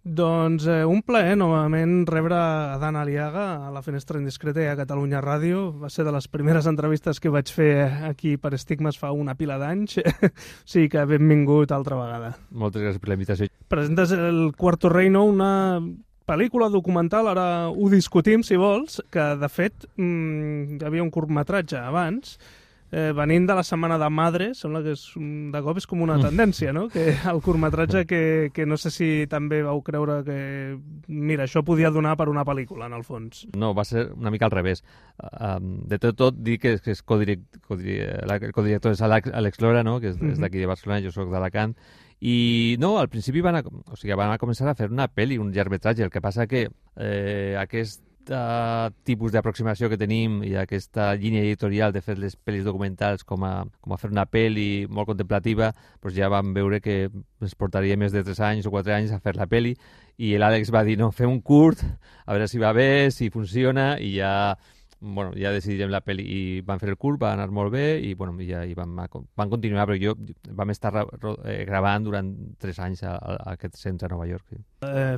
Doncs un plaer novament rebre a Dan Aliaga a la Finestra Indiscreta i a Catalunya Ràdio. Va ser de les primeres entrevistes que vaig fer aquí per Estigmes fa una pila d'anys. O sigui que benvingut altra vegada. Moltes gràcies per la invitació. Presentes El Cuarto Reino, una pel·lícula documental, ara ho discutim si vols, que de fet hi havia un curtmetratge abans, venint de la Setmana de Madre, sembla que de cop és com una tendència, no? Que el curtmetratge que no sé si també vau creure que, mira, això podia donar per una pel·lícula, en el fons. No, va ser una mica al revés. De tot, dir que el codirector és Àlex Lora, no? Que és d'aquí de Barcelona, jo soc d'Alacant, i no, al principi van a començar a fer una pel·li, un llargmetratge, el que passa que aquest tipus d'aproximació que tenim i aquesta línia editorial de fer les pel·lis documentals com a fer una pel·li molt contemplativa, doncs ja vam veure que ens portaria més de 3 anys o 4 anys a fer la pel·li, i l'Àlex va dir, no, fem un curt, a veure si va bé, si funciona, i ja decidirem la pel·li, i van fer el curt, va anar molt bé, i van continuar, però vam estar gravant durant 3 anys a aquest centre a Nova York. Sí.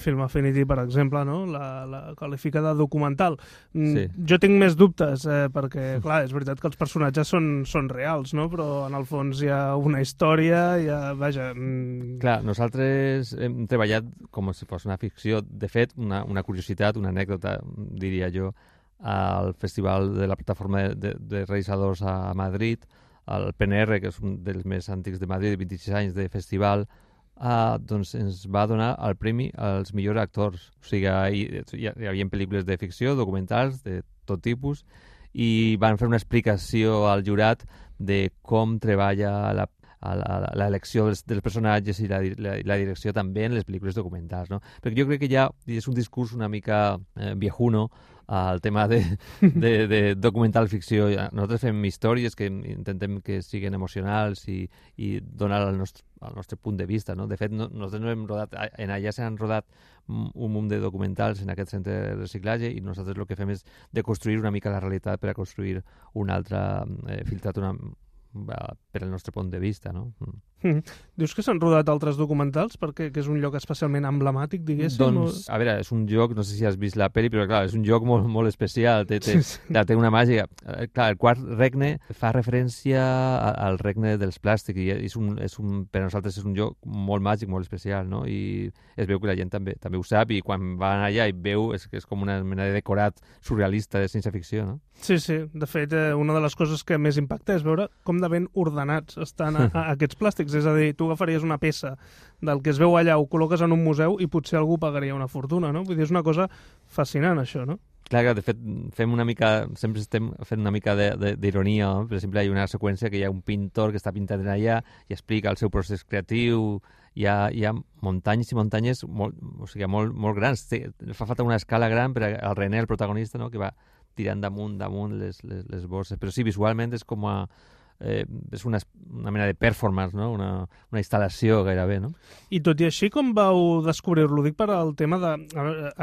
Film Affinity, per exemple, no? La qualifica de documental. Sí. Jo tinc més dubtes, perquè, clar, és veritat que els personatges són reals, no? Però en el fons hi ha una història, vaja... Clar, nosaltres hem treballat com si fos una ficció. De fet, una curiositat, una anècdota, diria jo, al Festival de la Plataforma de Realitzadors a Madrid, el PNR, que és un dels més antics de Madrid, 26 anys de festival, doncs ens va donar el premi als millors actors. O sigui, hi havia pel·lícules de ficció, documentals, de tot tipus, i van fer una explicació al jurat de com treballa l'elecció dels personatges i la direcció també en les pel·lícules documentals, no? Perquè jo crec que ja és un discurs una mica viejuno al tema de documental ficció. Nosaltres fem històries que intentem que siguin emocionals i donar el nostre punt de vista, no? De fet, nosaltres no hem rodat, en allà s'han rodat un munt de documentals en aquest centre de reciclatge, i nosaltres el que fem és de construir una mica la realitat per a construir una altra, filtrat per al nostre punt de vista, no? Dius que s'han rodat altres documentals perquè és un lloc especialment emblemàtic, diguéssim? Doncs, a veure, és un lloc, no sé si has vist la pel·li, però clar, és un lloc molt, molt especial, té una màgia. Clar, el Quart Regne fa referència al regne dels plàstics, i per a nosaltres és un lloc molt màgic, molt especial, no? I es veu que la gent també ho sap, i quan van allà i veu és que és com una mena de decorat surrealista de ciència-ficció, no? Sí, de fet, una de les coses que més impacta és veure com de ben ordenats estan aquests plàstics. És a dir, tu agafaries una peça del que es veu allà, ho col·loques en un museu i potser algú pagaria una fortuna, no? Vull dir, és una cosa fascinant, això, no? Clar, de fet, sempre estem fent una mica d'ironia, no? Per exemple, hi ha una seqüència que hi ha un pintor que està pintant allà i explica el seu procés creatiu. Hi ha muntanyes i muntanyes molt grans. Fa falta una escala gran per al René, el protagonista, no? Que va tirant damunt les bosses. Però sí, visualment és com és una mena de performance, no? Una instal·lació gairebé, no? I tot i així, com vau descobrir-lo? Dic per al tema de...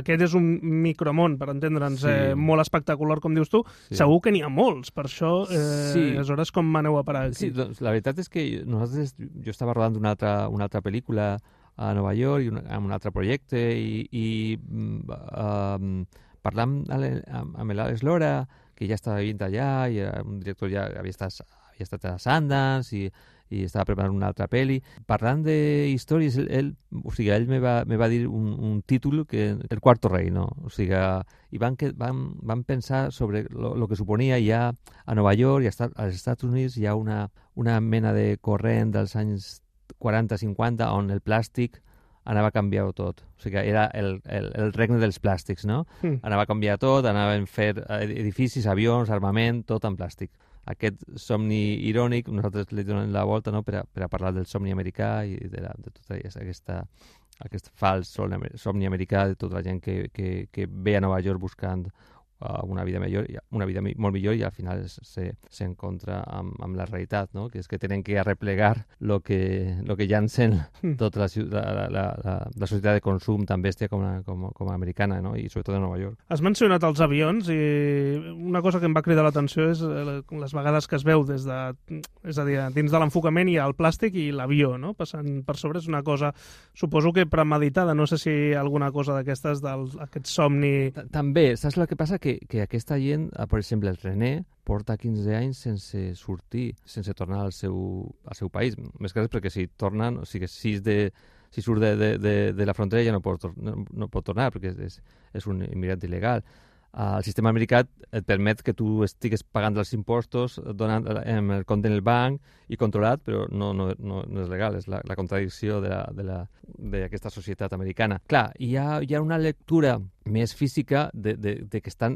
Aquest és un micromón, per entendre'ns, molt espectacular, com dius tu. Sí. Segur que n'hi ha molts, per això, aleshores, com m'aneu a parar aquí? Sí, doncs la veritat és que jo estava rodant una altra pel·lícula a Nova York, amb un altre projecte, i parlant amb l'Àlex Lora, que ja estava vivint allà, i era un director, ja havia estat a Sundance i estava preparant una altra pel·li. Parlant d'històries, ell me va dir un títol que El Cuarto Reino. O sigui, i van pensar sobre lo que suponia ja a Nova York i als Estats Units hi ha una mena de corrent dels anys 40-50 on el plàstic anava a canviar tot. O sigui, era el regne dels plàstics, no? Anava a canviar tot, anaven a fer edificis, avions, armament, tot en plàstic. Aquest somni irònic, nosaltres li donem la volta, no? per a parlar del somni americà i de tota aquest fals somni americà de tota la gent que ve a Nova York buscant una vida millor, una vida molt millor, i al final s'encontra amb la realitat, no? Que és que tenen que arreplegar lo que llancen tota la societat de consum tan bèstia com americana, no? I sobretot a Nova York. Has mencionat els avions i una cosa que em va cridar l'atenció és les vegades que es veu és a dir, dins de l'enfocament hi ha el plàstic i l'avió, no? Passant per sobre és una cosa, suposo que premeditada, no sé si hi ha alguna cosa d'aquestes, d'aquest somni... També, saps el que passa? Que aquesta gent, per exemple, el René, porta 15 anys sense sortir, sense tornar al seu país. Més que res perquè si tornen, o sigui, si surt de la frontera ja no pot tornar perquè és un immigrant il·legal. El sistema americà et permet que tu estigues pagant els impostos, donant el compte en el banc i controlat, però no és legal, és la contradicció d'aquesta societat americana. Clar, hi ha una lectura més física de que estan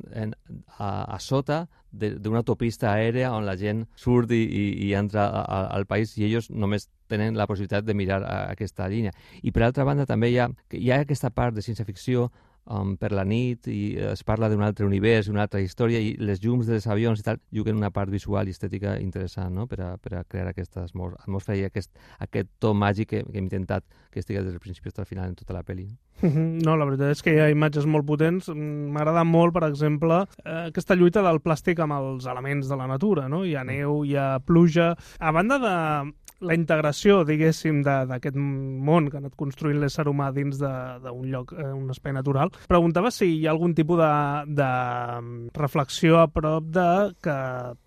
a sota d'una autopista aèrea on la gent surt i entra al país i ells només tenen la possibilitat de mirar aquesta línia. I per altra banda també hi ha aquesta part de ciència-ficció per la nit i es parla d'un altre univers, una altra història i les llums dels avions i tal juguen una part visual i estètica interessant, no? per a crear aquesta atmosfera i aquest to màgic que hem intentat que estigui des del principi fins al final en tota la pel·li. No, la veritat és que hi ha imatges molt potents. M'agrada molt, per exemple, aquesta lluita del plàstic amb els elements de la natura, no? Hi ha neu, hi ha pluja... A banda de la integració, diguéssim, d'aquest món que ha anat construint l'ésser humà dins d'un lloc, un espai natural, preguntava si hi ha algun tipus de reflexió a prop de que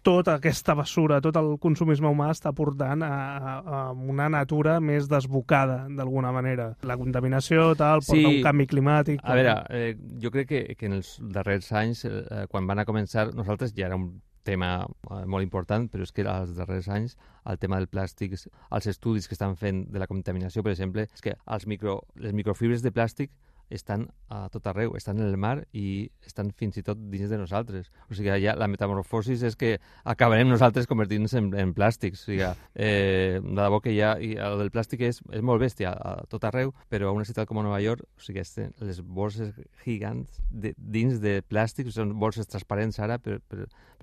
tota aquesta bessura, tot el consumisme humà està portant a una natura més desbocada, d'alguna manera. La contaminació, tal, porta un canvi climàtic... A veure, jo crec que en els darrers anys, quan van a començar, nosaltres ja era un tema molt important, però és que als darrers anys el tema del plàstic, els estudis que estan fent de la contaminació, per exemple, és que les microfibres de plàstic estan a tot arreu, estan en el mar i estan fins i tot dins de nosaltres. O sigui, ja la metamorfosis és que acabarem nosaltres convertint-nos en plàstics. O sigui, de debò que el del plàstic és molt bèstia a tot arreu, però a una ciutat com a Nova York, o sigui, les bosses gigants dins de plàstics, són bosses transparents ara per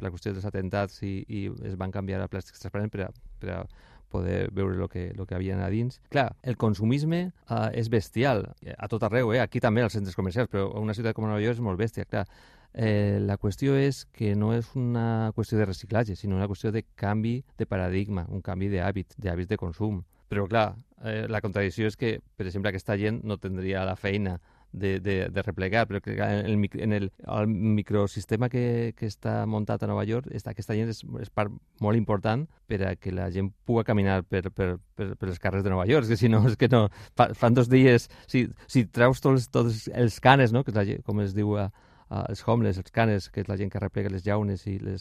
la qüestió dels atentats i es van canviar a plàstics transparents per a poder veure el que havia a dins. Clar, el consumisme és bestial, a tot arreu, aquí també als centres comercials, però una ciutat com Nova York és molt bèstia, clar. La qüestió és que no és una qüestió de reciclatge, sinó una qüestió de canvi de paradigma, un canvi d'hàbits de consum. Però clar, la contradicció és que, per exemple, aquesta gent no tindria la feina de replegar, però que en el microsistema que està muntat a Nova York, aquesta gent és part molt important per a que la gent pugui caminar per els carrers de Nova York, que si no, és que no, fan 2 dies, si treus tots els canes, no? Que és la gent, com es diu els homeless, els canes, que és la gent que replega les llaunes i les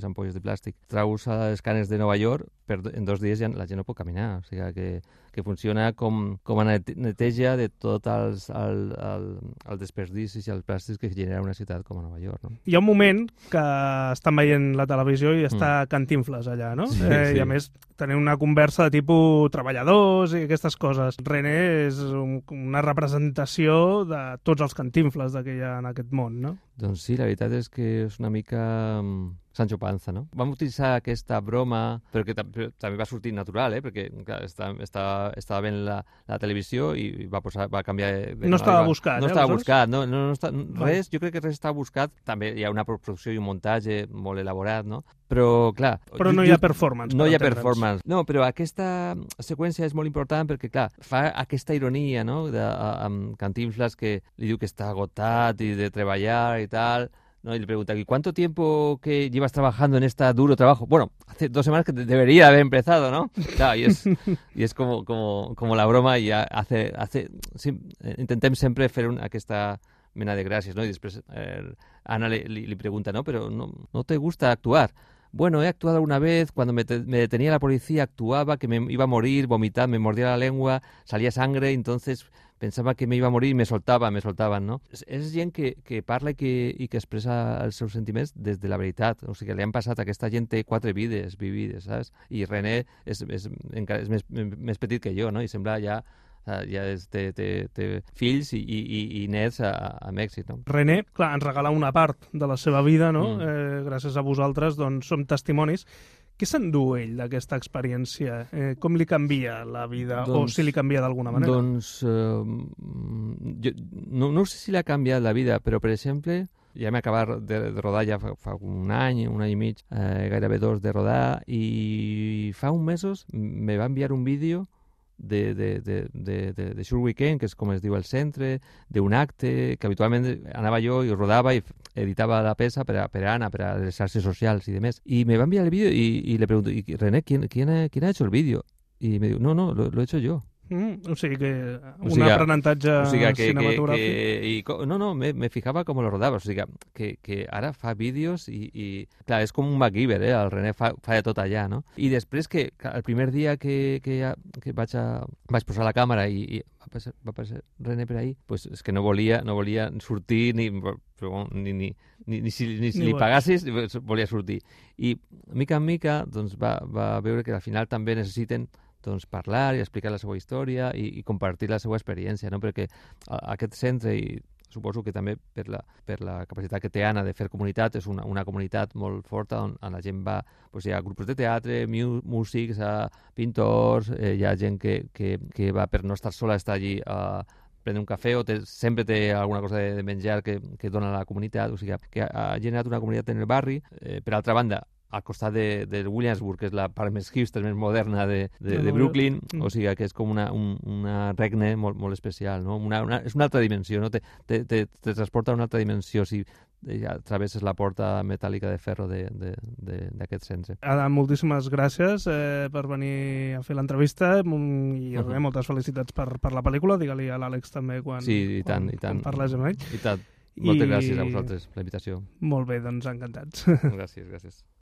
ampolles de plàstic, treus els canes de Nova York, en 2 dies ja la gent no pot caminar, o sigui que funciona com a neteja de tots els desperdicis i els plàstics que genera una ciutat com a Nova York. No? Hi ha un moment que estan veient la televisió i està Cantinflas allà, no? Sí. I a més tenen una conversa de tipus treballadors i aquestes coses. René és una representació de tots els Cantinflas que hi ha en aquest món, no? Doncs sí, la veritat és que és una mica Sancho Panza, no? Vam utilitzar aquesta broma, però que també va sortir natural, perquè clar, estava veient la televisió i va canviar... No estava buscat, No estava buscat, res, jo crec que res estava buscat. També hi ha una producció i un muntatge molt elaborat, no? Però, clar... Però no hi ha performance. No hi ha performance. No, però aquesta seqüència és molt important perquè, clar, fa aquesta ironia, no?, amb Cantinflas que li diu que està agotat i de treballar i tal, ¿no? Y le pregunta, ¿y cuánto tiempo que llevas trabajando en este duro trabajo? Bueno, hace 2 semanas que debería haber empezado, ¿no? Claro, y es como la broma y sí, intentem sempre fer aquesta mena de gràcies, no? I després Ana li pregunta, ¿no? Pero no te gusta actuar. Bueno, he actuado alguna vez, cuando me detenía la policía actuaba, que me iba a morir, vomitaba, me mordía la lengua, salía sangre, entonces pensava que me iba a morir i me soltaven, no? És gent que parla i que expressa els seus sentiments des de la veritat. O sigui, li han passat, aquesta gent té 4 vides vivides, saps? I René és més petit que jo, no? I sembla ja Ja té fills i nets a Mèxic, no? René, clar, ens regala una part de la seva vida, no? Gràcies a vosaltres, doncs, som testimonis. Què s'endú ell d'aquesta experiència? Com li canvia la vida, o si li canvia d'alguna manera? Doncs, no sé si l'ha canviat la vida, però, per exemple, ja m'he acabat de rodar ja fa un any i mig, gairebé 2 de rodar, i fa uns mesos me va enviar un vídeo de Sure Weekend, que és com es diu el centre, d'un acte que habitualment anava jo i rodava i editava la peça per a Anna, per a les xarxes socials i demés. I me va enviar el vídeo y le pregunto, René, ¿quién ha hecho el vídeo? Y me diu, no, lo he hecho yo. O sigui que un aprenentatge cinematogràfic. No, me fijava com lo rodava, o sigui que ara fa vídeos i clar, és com un MacGyver, el René fa de tot allà, no? I després que el primer dia que vaig posar la càmera i va passar René per ahí, pues és que no volia sortir ni si li pagassis volia sortir. I mica en mica doncs, va veure que al final també necessiten parlar i explicar la seva història i compartir la seva experiència, no? Perquè aquest centre, i suposo que també per la capacitat que té Anna de fer comunitat, és una comunitat molt forta on la gent va, hi ha grups de teatre, músics, pintors, hi ha gent que va per no estar sola, estar allí a prendre un cafè, o sempre té alguna cosa de menjar que dona a la comunitat, o sigui que ha generat una comunitat en el barri. Per altra banda, al costat de Williamsburg, que és la part més hipster, més moderna de Brooklyn, o sigui que és com una regne molt, molt especial, no? És una altra dimensió, no? Te transporta a una altra dimensió si travesses la porta metàl·lica de ferro d'aquest centre. Adam, moltíssimes gràcies per venir a fer l'entrevista i moltes felicitats per la pel·lícula. Digue-li a l'Àlex també quan parles amb ell. I tant. Moltes gràcies a vosaltres per la invitació. Molt bé, doncs encantats. Gràcies.